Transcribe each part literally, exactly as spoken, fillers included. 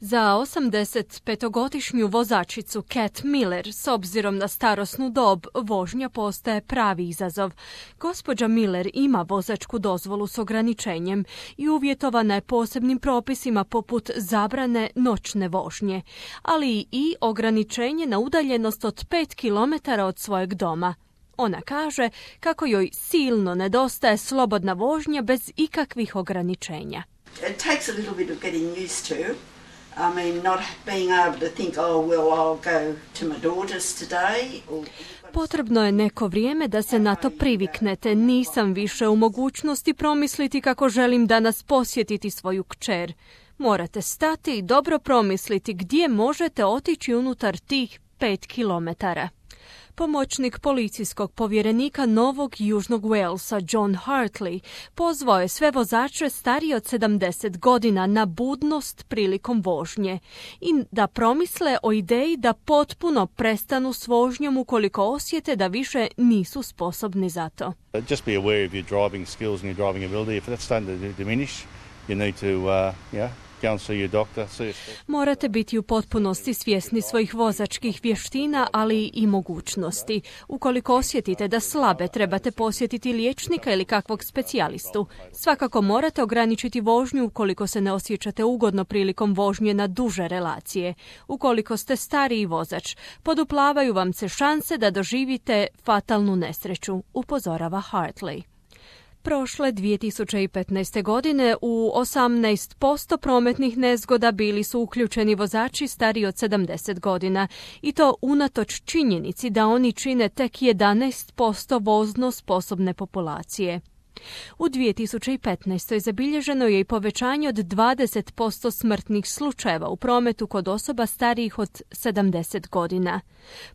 Za osamdesetpetogodišnju vozačicu Cat Miller, s obzirom na starosnu dob, vožnja postaje pravi izazov. Gospođa Miller ima vozačku dozvolu s ograničenjem i uvjetovana je posebnim propisima poput zabrane noćne vožnje, ali i ograničenje na udaljenost od pet kilometara od svojeg doma. Ona kaže kako joj silno nedostaje slobodna vožnja bez ikakvih ograničenja. It takes a little bit of getting used to. I mean, not being able to think, oh, well, I'll go to my daughter's today. Or... Potrebno je neko vrijeme da se na to priviknete. Nisam više u mogućnosti promisliti kako želim danas posjetiti svoju kćer. Morate stati i dobro promisliti gdje možete otići unutar tih pet kilometara. Pomoćnik policijskog povjerenika Novog Južnog Walesa John Hartley pozvao je sve vozače starije od sedamdeset godina na budnost prilikom vožnje i da promisle o ideji da potpuno prestanu s vožnjom ukoliko osjete da više nisu sposobni za to. Just be aware of your driving skills and your driving ability. If that's starting to diminish, you need to, uh, yeah. Morate biti u potpunosti svjesni svojih vozačkih vještina, ali i mogućnosti. Ukoliko osjetite da slabe, trebate posjetiti liječnika ili kakvog specijalistu. Svakako morate ograničiti vožnju ukoliko se ne osjećate ugodno prilikom vožnje na duže relacije. Ukoliko ste stariji vozač, poduplavaju vam se šanse da doživite fatalnu nesreću, upozorava Hartley. Prošle dvije tisuće petnaeste. godine u osamnaest posto prometnih nezgoda bili su uključeni vozači stariji od sedamdeset godina i to unatoč činjenici da oni čine tek jedanaest posto vozno sposobne populacije. U dvije tisuće petnaestoj. zabilježeno je i povećanje od dvadeset posto smrtnih slučajeva u prometu kod osoba starijih od sedamdeset godina.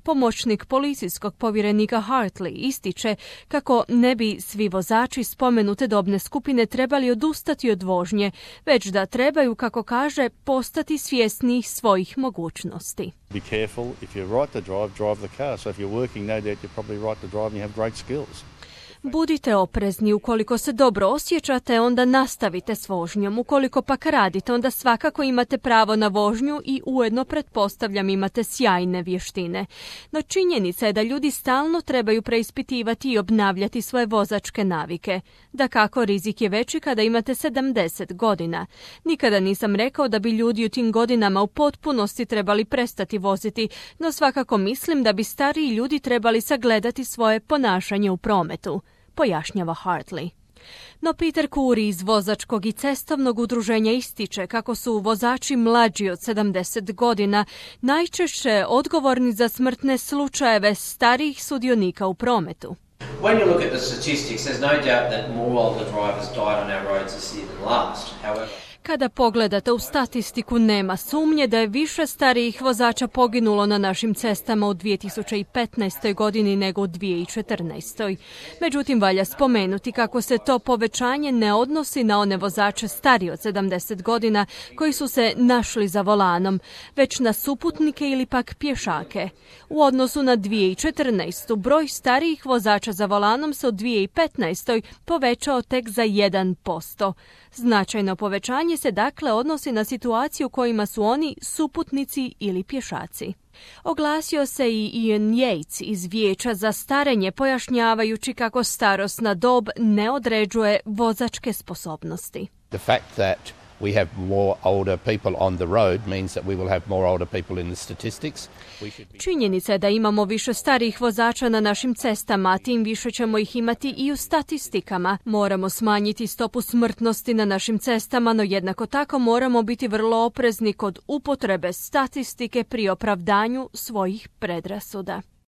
Pomoćnik policijskog povjerenika Hartley ističe kako ne bi svi vozači spomenute dobne skupine trebali odustati od vožnje, već da trebaju, kako kaže, postati svjesni svojih mogućnosti. Be careful, if you're right to drive, drive the car. So if you're working, no doubt you're probably right to drive and you have great skills. Budite oprezni, ukoliko se dobro osjećate, onda nastavite s vožnjom. Ukoliko pak radite, onda svakako imate pravo na vožnju i ujedno, pretpostavljam, imate sjajne vještine. No činjenica je da ljudi stalno trebaju preispitivati i obnavljati svoje vozačke navike. Dakako, rizik je veći kada imate sedamdeset godina. Nikada nisam rekao da bi ljudi u tim godinama u potpunosti trebali prestati voziti, no svakako mislim da bi stariji ljudi trebali sagledati svoje ponašanje u prometu, pojašnjava Hartley. No Peter Curry iz vozačkog i cestovnog udruženja ističe kako su vozači mlađi od sedamdeset godina najčešće odgovorni za smrtne slučajeve starijih sudionika u prometu. When you look at the statistics, there's no doubt that more older drivers died on our roads this year than last. However, kada pogledate u statistiku, nema sumnje da je više starijih vozača poginulo na našim cestama u dvije tisuće petnaestoj. godini nego u dvije tisuće četrnaestoj. Međutim, valja spomenuti kako se to povećanje ne odnosi na one vozače starije od sedamdeset godina koji su se našli za volanom, već na suputnike ili pak pješake. U odnosu na dvije tisuće četrnaestu. broj starijih vozača za volanom se u dvije tisuće petnaestoj. povećao tek za jedan posto. Značajno povećanje se dakle odnosi na situaciju u kojima su oni suputnici ili pješaci. Oglasio se i Ian Yates iz Vijeća za starenje, pojašnjavajući kako starosna dob ne određuje vozačke sposobnosti. The fact that we have more older people on the road means that we will have more older people in the statistics. Činjenica je da imamo više starijih vozača na našim cestama, a tim više ćemo ih imati i u statistikama. Moramo smanjiti stopu smrtnosti na našim cestama, no jednako tako moramo biti vrlo oprezni kod upotrebe statistike pri opravdanju svojih predrasuda.